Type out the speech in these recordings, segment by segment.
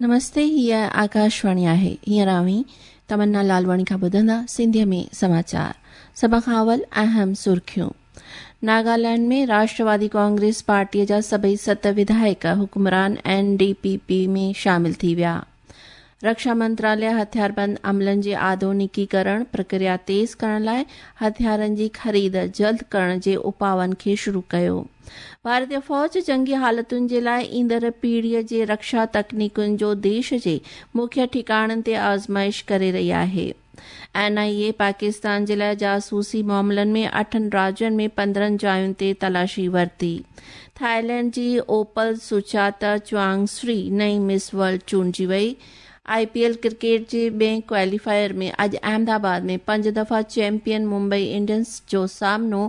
نمستي هيء آڪاشواڻي آهي. هينئر اوهين تمنا لالواڻي کان ٻڌندا سنڌيء ۾ سماچار. سڀ کان اول اهم سرخيون. ناگالينڊ ۾ راشٽروادي ڪانگريس پارٽيء جا سڀئي ست وڌايڪ حڪمران اين ڊي پي پي ۾ شامل ٿي ويا. رڪشا منتراليه هٿياربند عملن جي آڌونڪيڪرڻ پرڪريا تيز ڪرڻ لاء هٿيارن جي خريد جلد ڪرڻ جي اپاون کي شروع ڪيو. ڀارتي فوج جنگي حالتن جي لاء ايندڙ پيڙهيء جي رڪشا تڪنيڪن جو ديش جي مکيه ٺڪاڻن تي آزمائش ڪري رهي آهي. اين آء اي پاڪستان جي لاء جاسوسي معاملن ۾ اٺن راجين ۾ 15 جاين تي تلاشي ورتي. ٿائيلينڊ جي اوپل سوچاتا چوانگ سري نئين مس ورلڊ چونڊجي وئي. آء پي ايل ڪرڪيٽ جي ٻئين ڪواليفائر ۾ اڄ احمد آباد ۾ پنج دفعا چيمپيئن ممبئي انڊينز جو سامنو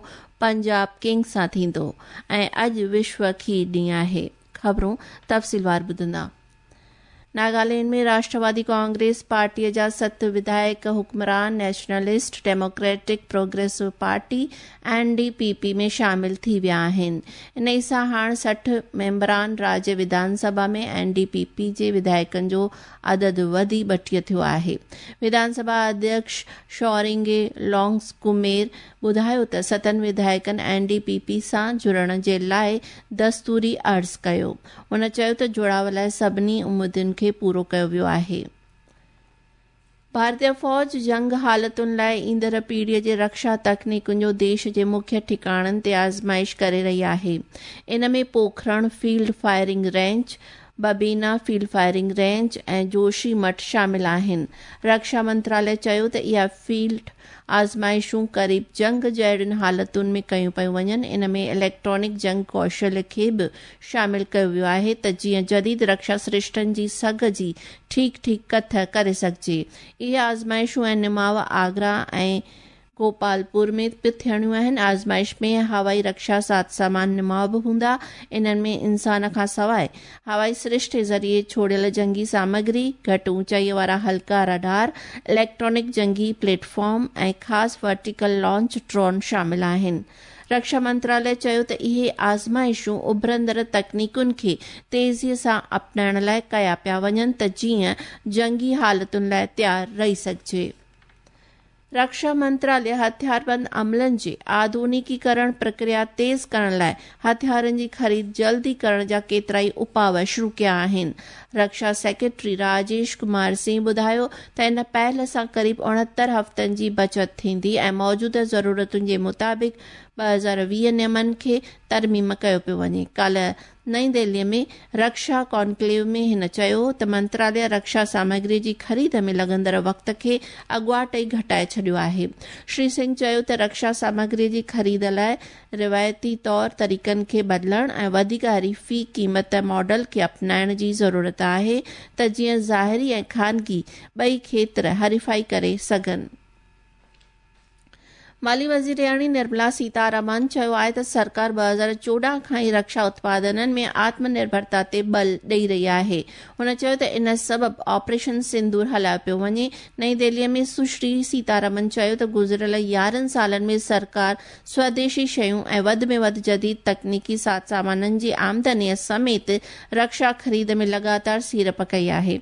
پنجاب ڪنگز سان ٿيندو ۽ اڄ وشو کير ڏينهن آهي. خبرون تفصيلوار ٻڌندا. ناگالينڊ ۾ راشٽروادي ڪانگريس پارٽيء جا ست وڌايڪ حڪمران nationalist democratic progressive party, N D P P, ۾ شامل ٿي ويا آهن. انهي سان هاڻ 60 ميمبران راجيه وڌان سڀا ۾ اين ڊي پي پي جي وڌايڪن جو عدد وڌي 32 ٿيو آهي. وڌان سڀا اڌيڪش شورنگي لونگس ڪمير ٻڌايو ته ستن وڌايڪن اين ڊي پي پي سان جڙڻ جي لاء دستوري عرض ڪيو. هن چيو ته جوڙاء لاء سڀني اميدن کي پورو ڪيو ويو آهي. ڀارتي فوج جنگ حالتن لاء ايندڙ پيڙهيء جي رڪشا تڪنيڪن جو ديش جي مکيه ٺڪاڻن تي آزمائش ڪري رهي آهي. ان ۾ Pokhran field firing range, Bibina field firing range ۽ Joshi Math شامل آهن. رڪشا منتراليه چيو ته اها فيلڊ آزمائشون قريب جنگ جهڙين حالتن ۾ ڪيون پيون وڃن، ان ۾ اليڪٽرانڪ جنگ ڪوشل کي به شامل ڪيو ويو آهي ته جيئن جديد رڪشا سرشتن جي سگهه جي ٺيڪ ٺيڪ ڪٿ ڪري سگهجي. اهي آزمائشون ۽ نماء آگرا ۽ گوپالپور ۾ به ٿيڻيون آهن. آزمائش ۾ هوائي رڪشا ساز سامان نماء به هوندا. انهن ۾ انسان کان سواء هوائي سرشتي ذريعي ڇوڙيل جنگي سامگري، گهٽ اوچائيء وارا هلڪا رڊار، اليڪٽرانڪ جنگي پليٽ فارم ۽ خاص ورٽيڪل لانچ ڊرون شامل آهن. رڪشا منتراليه چيو ته اهي آزمائشون اڀرندڙ تڪنيڪن کي تيزيء سان اپنائڻ لاء ڪيا پيا وڃن ته جيئن جنگي حالتن لاء تيار رهي سگهجي. رڪشا منتراليه هٿياربند عملن جي آڌونيڪيڪرڻ پرڪريا تيز ڪرڻ لاء هٿيارن جي خريد جلدي ڪرڻ جا ڪيترائي اپاء شروع ڪيا آهن. رڪشا سيڪريٽري راجيش ڪمار سنگهه ٻڌايو ته ان پهل سان قريب 69 هفتن جي بچت ٿيندي ۽ موجوده ضرورتن جي مطابق 2020 نيمن کي ترميم ڪيو پيو وڃي. ڪالهه نئين دهلي ۾ رڪشا ڪانڪليو ۾ هن چيو ته منتراليه رڪشا سامگري جي خريد ۾ لڳندڙ وقت کي اڳواٽ ئي گهٽائي ڇڏيو آهي. شري سنگهه چيو ته رڪشا سامگري جي خريد لاء روايتي طور طريقن کي بدلڻ ۽ وڌيڪ حريفي قيمت ماڊل کي اپنائڻ جي ضرورت آهي ته جيئن ظاهري ۽ خانگي ٻئي کيتر حريفائي ڪري سگهن. مالي وزيرياڻي نرملا سيتارامن چيو آهي ته سرڪار 2014 کان ئي رڪشا اتپادنن ۾ آتم نرڀرتا تي ٻل ڏئي رهي آهي. هن چيو ته ان سبب آپريشن سندور هلايو پيو وڃي. نئين دهلي ۾ سشري سيتارامن چيو ته گذريل 11 سالن ۾ سرڪار سوديشي شيون ۽ وڌ ۾ وڌ جديد تڪنيڪي ساز سامانن جي آمدنيء سميت رڪشا خريد ۾ لڳاتار سيڙپ ڪئي آهي.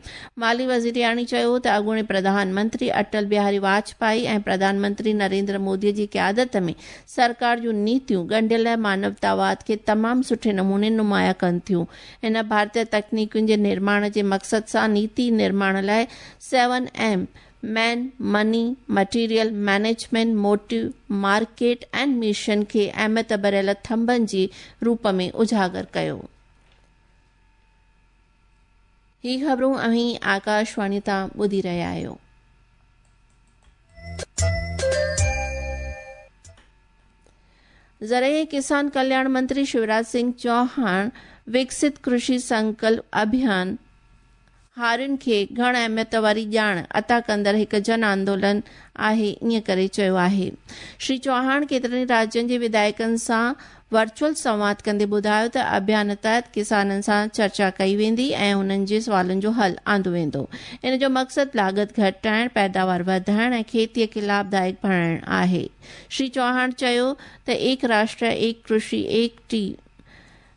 مالي وزيرياڻي چيو ته اڳوڻي پرڌان منتري اٽل بهاري واجپائي ۽ پرڌان منتري نريندر مودي جي قيادت ۾ سرڪار جون نيتيون ڳنڍيل مانوتاواد کي تمام سٺي نموني نمايان ڪن ٿيون. هن ڀارتي تڪنيڪن جي نرماڻ جي مقصد سان نيتي نرماڻ لاء seven M, man, money, material, management, motive, market ۽ mission کي اهميت ڀريل ٿنڀن جي روپ ۾ اجاگر ڪيو. هي خبرون اوهين آڪاشواڻي تان ٻڌي رهيا آهيو. زرعي ۽ ڪسان ڪلياڻ منتري شيوراج سنگهه چوهاڻ وڪست ڪرشي سنڪلپ اڀيان هارين کي گهڻ اهميت واري ڄاڻ عطا ڪندڙ هڪ جن آندولن آهي ائين ڪري چيو آهي. شري چوهاڻ ڪيترن ئي راجين جي وڌايڪن سان ورچوئل سنواد ڪندي ٻڌايو ته اڀيان تحت ڪسانن سان چرچا ڪئي ويندي ۽ انهن جي سوالن جو حل آندو ويندو. ان جو مقصد لاڳت گهٽائڻ، پيداوار وڌائڻ ۽ کيتي کي لاڀدائڪ بڻائڻ آهي. شري چوهاڻ چيو ته ايڪ راشٽر، ايڪ ڪرشي، ايڪ ٽي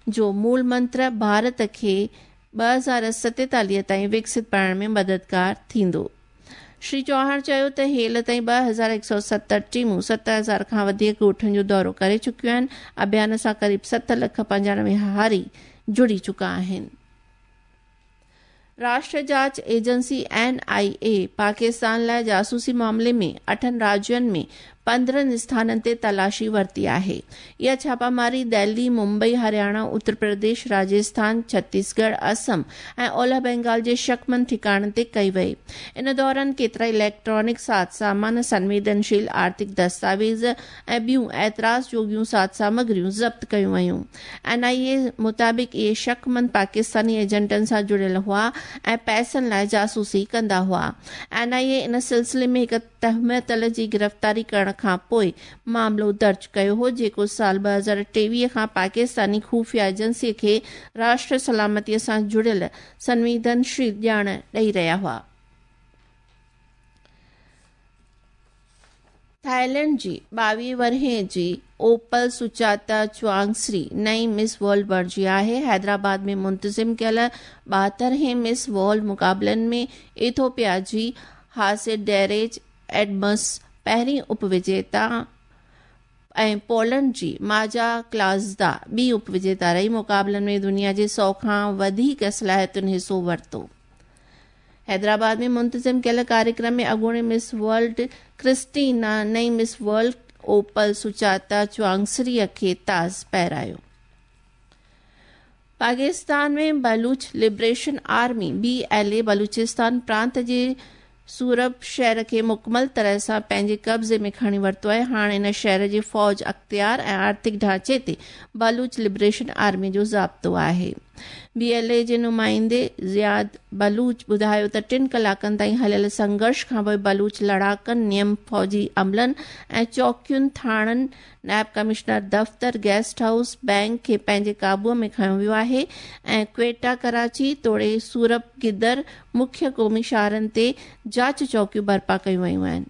جو مول منتر ڀارت کي 2047 تائين وڪست بڻائڻ ۾ مددگار ٿيندو. شري چوهاڻ چيو ته هيل تائين 2170 ٽيمون 7000 کان وڌيڪ ڳوٺن جو دورو ڪري چڪيون آهن، اڀيان سان قريب 7 لک 95 هاري جڙي چڪا آهن. راشٽر جاچ ايجنسي، اين آء اي، پاڪستان لاء جاسوسي معاملي ۾ اٺن راجين ۾ 15 اسٿانن تي تلاشي ورتي آهي. اها ڇاپاماري دهلي، ممبئي، هرياڻا، اتر پرديش، راجسٿان، ڇتيسڳڙهه، اسم ۽ اولهه بينگال جي شڪمند ٺڪاڻن تي ڪئي وئي. ان دوران ڪيترائي اليڪٽرانڪ ساز سامان، سنويدنشيل آرٿڪ دستاويز ۽ ٻيون اعتراض جوڳيون ساز سامگريون ضبط ڪيون ويون. اين آء اي مطابق اهي شڪمند پاڪستاني ايجنٽن سان جڙيل هئا ۽ پئسن لاء جاسوسي ڪندا هئا. اين آء اي ان سلسلي ۾ هڪ تهمتل جي گرفتاري ڪرڻ کانپوء معاملو درج ڪيو هو جيڪو سال 2023 کان پاڪستاني خفيه ايجنسي کي راشٽر سلامتي سان جڙيل سنويدنشيل ڄاڻ ڏئي رهيا هئا. ٿائيلينڊ جي 22 ورهين جي اوپل سچاتا چوانگسري نئين مس ورلڊ بڻجي آهي. حيدرآباد ۾ منتظم ڪيل 72 هين مس ورلڊ مقابلن ۾ ايٿوپيا جي هاسيٽ ڊيريج ايڊمس پهرين اپ وجيتا ۽ پولنڊ جي ماجا ڪلازدا ٻي اپ وجيتا رهي. مقابلن ۾ دنيا جي 100 کان وڌيڪ صلاحيتن حصو ورتو. حيدرآباد ۾ منتظم ڪيل ڪاريڪرم ۾ اڳوڻي مس ورلڊ ڪرسٽينا نئين مس ورلڊ اوپل سچاتا چوانگسري کي تاج پهرايو. Pakistan ۾ Baloch liberation army, B L A, Balochistan پرانت جي سورب شهر کي مڪمل طرح سان پنهنجي قبضي ۾ کڻي ورتو آهي. هاڻ ان شهر جي فوج اختيار ۽ آرٿڪ ڍانچي تي بلوچ لبريشن آرمي جو ضابطو آهي. بي ايل اي جي نمائندي زياد بلوچ ٻڌايو ته ٽن ڪلاڪن تائين هليل سنگهرش کانپوء بلوچ لڙاڪن نيم فوجي عملن ۽ چوڪين، ٿاڻن، نائب ڪمشنر دفتر، گيسٽ هائوس، بئنڪ کي پنهنجي قابو ۾ کنيو ويو آهي ۽ ڪوئيٽا، ڪراچي توڙي سورب گدر مکيه قومي شاهراهن تي جاچ چوڪيون برپا ڪيون ويون آهن.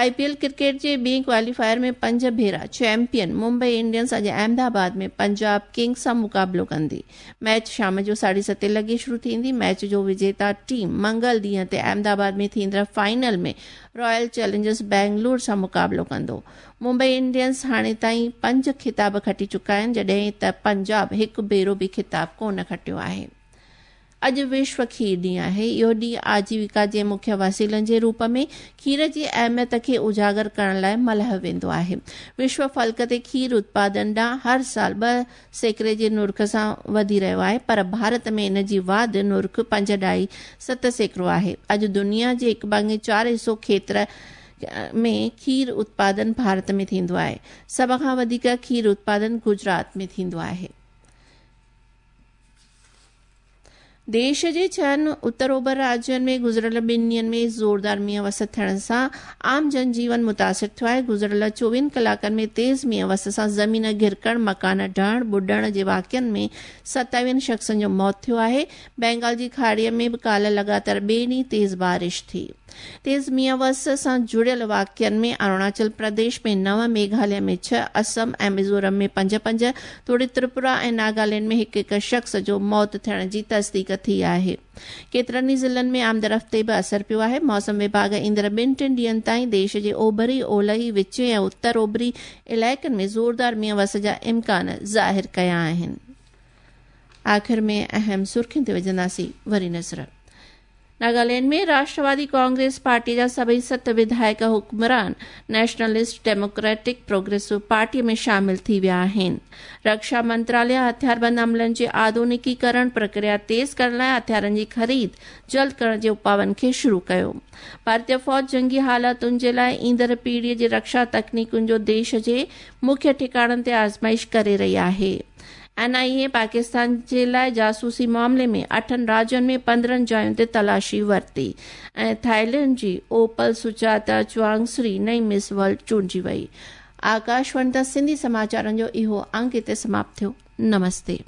آء پي ايل ڪرڪيٽ جي ٻئي ڪواليفائر ۾ پنج ڀيرا چيمپيئن ممبئي انڊينز اڄ احمد آباد ۾ پنجاب ڪنگز سان مقابلو ڪندي. ميچ شام جو ساڍي ستين لڳي شروع ٿيندي. ميچ جو وجيتا ٽيم منگل ڏينهن تي احمد آباد ۾ ٿيندڙ فائنل ۾ رائل چئلينجرز بينگلور سان مقابلو ڪندو. ممبئي انڊينز هاڻي تائين پنج خطاب کٽي چڪا آهن جڏهن ته پنجاب هڪ ڀيرو به خطاب ڪونه کٽيو آهي. اڄ وشو کير ڏينهن آهي. اهو ڏينهن آجيوڪا جي مکيه وسيلن جي روپ ۾ کير جي اهميت کي اجاگر ڪرڻ لاء ملهايو ويندو آهي. وشو فلڪ تي کير اتپادن ڏانهن هر سال 2% جي نرخ سان وڌي رهيو آهي پر ڀارت ۾ ان جي واڌ نرخ پنج ڏهائي 7% آهي. اڄ دنيا جي هڪ ڀاڱي چار حصو کيتر ۾ کير اتپادن ڀارت ۾ ٿيندو آهي. سڀ کان وڌيڪ کير اتپادن گجرات ۾ ٿيندو آهي. ديش جي ڇهن اتر اوڀر راجين ۾ گذريل ٻن ڏينهن ۾ زوردار مينهن وس ٿيڻ سان عام جن جيون متاثر ٿيو آهي. گذريل 24 ڪلاڪن ۾ تيز مينهن وس سان زمين گهرڪڻ، مڪان ڊهڻ، ٻڏڻ جي واقعن ۾ 27 شخصن جو موت ٿيو آهي. بينگال جي کاڙيء ۾ به ڪالهه لڳاتار ٻئي ڏينهن تيز بارش ٿي. تيز مينهن وس سان جڙيل واقعن ۾ اروناچل پرديش ۾ نو، ميگهاليه ۾ ڇهه، اسم ۽ ميزورم ۾ پنج پنج توڙي تريپورا ۽ ناگالينڊ ۾ هڪ هڪ شخص جو موت ٿيڻ جي تصديق ٿي آهي. ڪيترن ئي ضلعن ۾ آمدرفت تي به اثر پيو آهي. موسم وڀاڳ ايندڙ ٻن ٽن ڏينهن تائين ديش جي اوڀري، اولهي، وچين ۽ اتر اوڀري علائقن ۾ زوردار مينهن وس جا امڪان ظاهر ڪيا آهن. آخر ۾ اهم سرخين تي وجهنداسين وري نظر. ناگالينڊ ۾ راشٽروادي ڪانگريس پارٽي جا سڀئي ست وڌايڪ حڪمران نيشنلسٽ ڊيموڪريٽڪ پروگريسو پارٽي ۾ شامل ٿي ويا آهن. رڪشا منتراليه هٿياربند عملن جي آڌونڪيڪرڻ پرڪريا تيز ڪرڻ لاء هٿيارن جي خريد جلد ڪرڻ جي اپاون کي شروع ڪيو. ڀارتي فوج جنگي حالتن جي لاء ايندڙ پيڙهي جي رڪشا تڪنيڪن جو ديش جي مکيه ٺڪاڻن تي آزمائش ڪري رهي آهي. اين آء اي پاڪستان جي لاء جاسوسي معاملي ۾ اٺن راجين ۾ 15 جاين تي تلاشي ورتي ۽ ٿائيلينڊ جي اوپل سچاتا چوانگسري نئين مس ورلڊ چونڊجي وئي. آڪاشواڻي تان سنڌي سماچارن جو اهو انگ هتي سماپت ٿيو. نمستي.